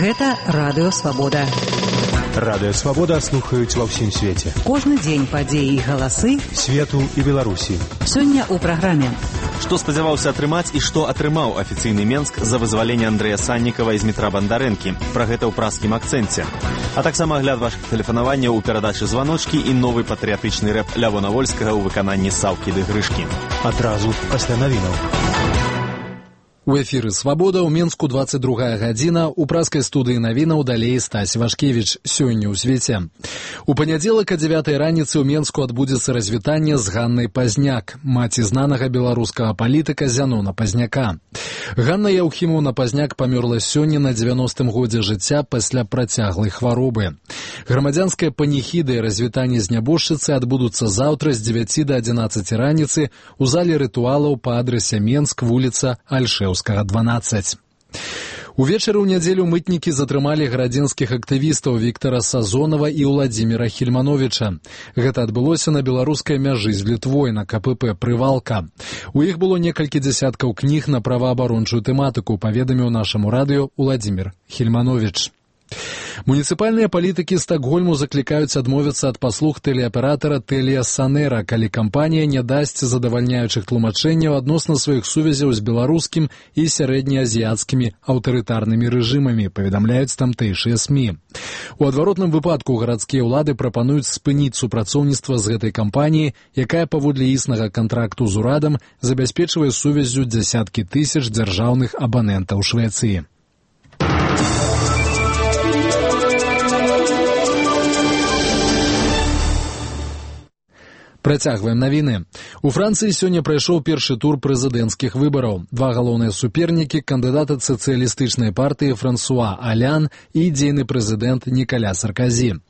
Гэта Радыё Свабода. Радыё Свабода слухаюць ва ўсім свеце. Кожны дзень падзеі і галасы свету і Беларусі. Сёння ў праграме. Што спадзяваўся атрымаць і што атрымаў афіцыйны Менск за вызваленне Андрэя Саннікава і Змітра Бандарэнкі. Пра гэта ў праскім акцэнце. А таксама агляд вашых тэлефанаванняў у перадачы «Званочкі» і новы патрыятычны рэп Лявона Вольскага ў выкананні Саўкі ды Грышкі. Адразу пасля навінаў. У эфіры «Свабода» ў Менску 22 гадзіна. У праскай студыі навінаў далей Стась Вашкевіч. Сёння ў свеце. У панядзелак о 9 раніцы ў Менску адбудзецца развітанне з Ганнай Пазняк, маці знанага беларускага палітыка Зянона Пазняка. Ганна Яўхімаўна Пазняк памёрла сёння на 90-м годзе жыцця пасля працяглай хваробы. Грамадзянская паніхіда і развітанне з нябожчыцай адбудуцца заўтра з 9 до 11 раніцы ў зале рытуалаў па адрасе Менск, вуліца Альшэўскага, 12. Увечары ў нядзелю мытнікі затрымалі гарадзенскіх актывістаў Віктара Сазонава і Ўладзіміра Хільмановіча. Гэта адбылося на беларускай мяжы з Літвой на КПП «Прывалка». У іх было некалькі дзясяткаў кніг на праваабарончую тэматыку, паведаміў нашаму радыё Ўладзімір Хільмановіч. Муніцыпальныя палітыкі Стакгольму заклікаюць адмовіцца ад паслуг тэлеаператара Тэлія Санэра, калі кампанія не дасць задавальняючых тлумачэнняў адносна сваіх сувязяў з беларускім і сярэднеазіяцкімі аўтарытарнымі рэжымамі, паведамляюць тамтэйшыя СМІ. У адваротным выпадку гарадскія ўлады прапануюць спыніць супрацоўніцтва з гэтай кампаніяй, якая паводле існага кантракту з урадам забяспечвае сувяззю дзясяткі тысяч дзяржаўных абанентаў Швецыі. Працягваем навіны. У Францыі сёння прайшоў першы тур прэзідэнцкіх выбараў. Два галоўныя супернікі, кандыдаты сацыялістычнай партыі Франсуа Алян і дзейны прэзідэнт Нікаля Сарказі.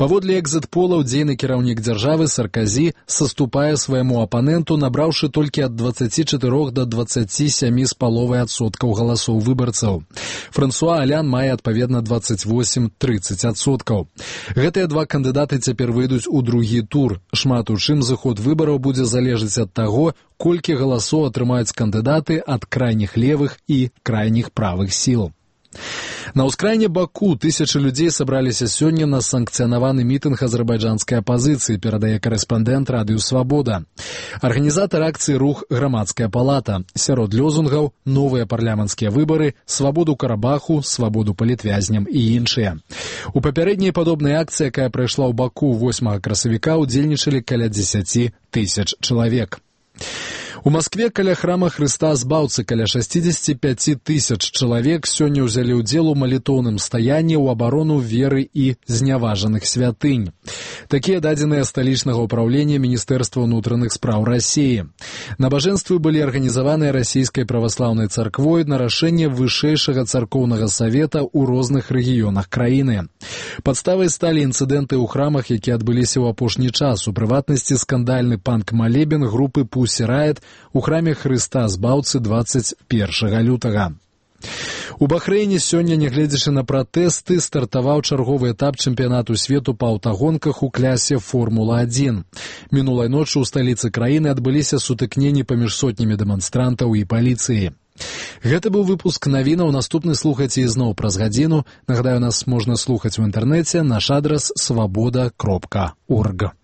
Паводле экзіт-полаў дзейны кіраўнік дзяржавы Сарказі саступае свайму апаненту, набраўшы толькі ад 24 до 27,5% галасоў выбарцаў. Франсуа Алян мае адпаведна 28-30%. Гэтыя два кандыдаты цяпер выйдуць у другі тур. Шмат у чым заход выбараў будзе залежаць ад таго, колькі галасоў атрымаюць кандыдаты ад крайніх левых і крайніх правых сіл. На ўскраіне Баку тысячы людзей сабраліся сёння на санкцыянаваны мітынг азербайджанскай апазіцыі, перадае карэспандэнт Радыё Свабода. Арганізатар акцыі рух «Грамадская палата». Сярод лёзунгаў новыя парламенцкія выбары, свабоду Карабаху, свабоду палітвязням і іншыя. У папярэдняй падобнай акцыі, якая прайшла ў Баку 8 красавіка, удзельнічалі каля 10 тысяч чалавек. У Маскве каля храма Хрыста Збаўцы каля 65 тысяч чалавек сёння ўзялі ўдзел у малітоўным стаянні ў абарону веры і зняважаных святынь. Такія дадзеныя сталічнага ўпраўлення Міністэрства ўнутраных спраў Расіі. Набажэнствы былі арганізаваныя расійскай праваслаўнай царквой на рашэнне вышэйшага царкоўнага савета ў розных рэгіёнах краіны. Падставай сталі інцыдэнты ў храмах, якія адбыліся ў апошні час, у прыватнасці скандальны панк-малебен групы Pussy Riot у храме Хрыста Збаўцы 21 лютага. У Бахрэйне сёння, нягледзячы на пратэсты, стартаваў чарговы этап чэмпіянату свету па аўтагонках у клясе Формула-1. Мінулай ночы ў сталіцы краіны адбыліся сутыкненні паміж сотнямі дэманстрантаў і паліцыі. Гэта быў выпуск навінаў. Наступны слухайце ізноў праз гадзіну. Нагадаю, нас можна слухаць у інтэрнэце. Наш адрас свабода.орг.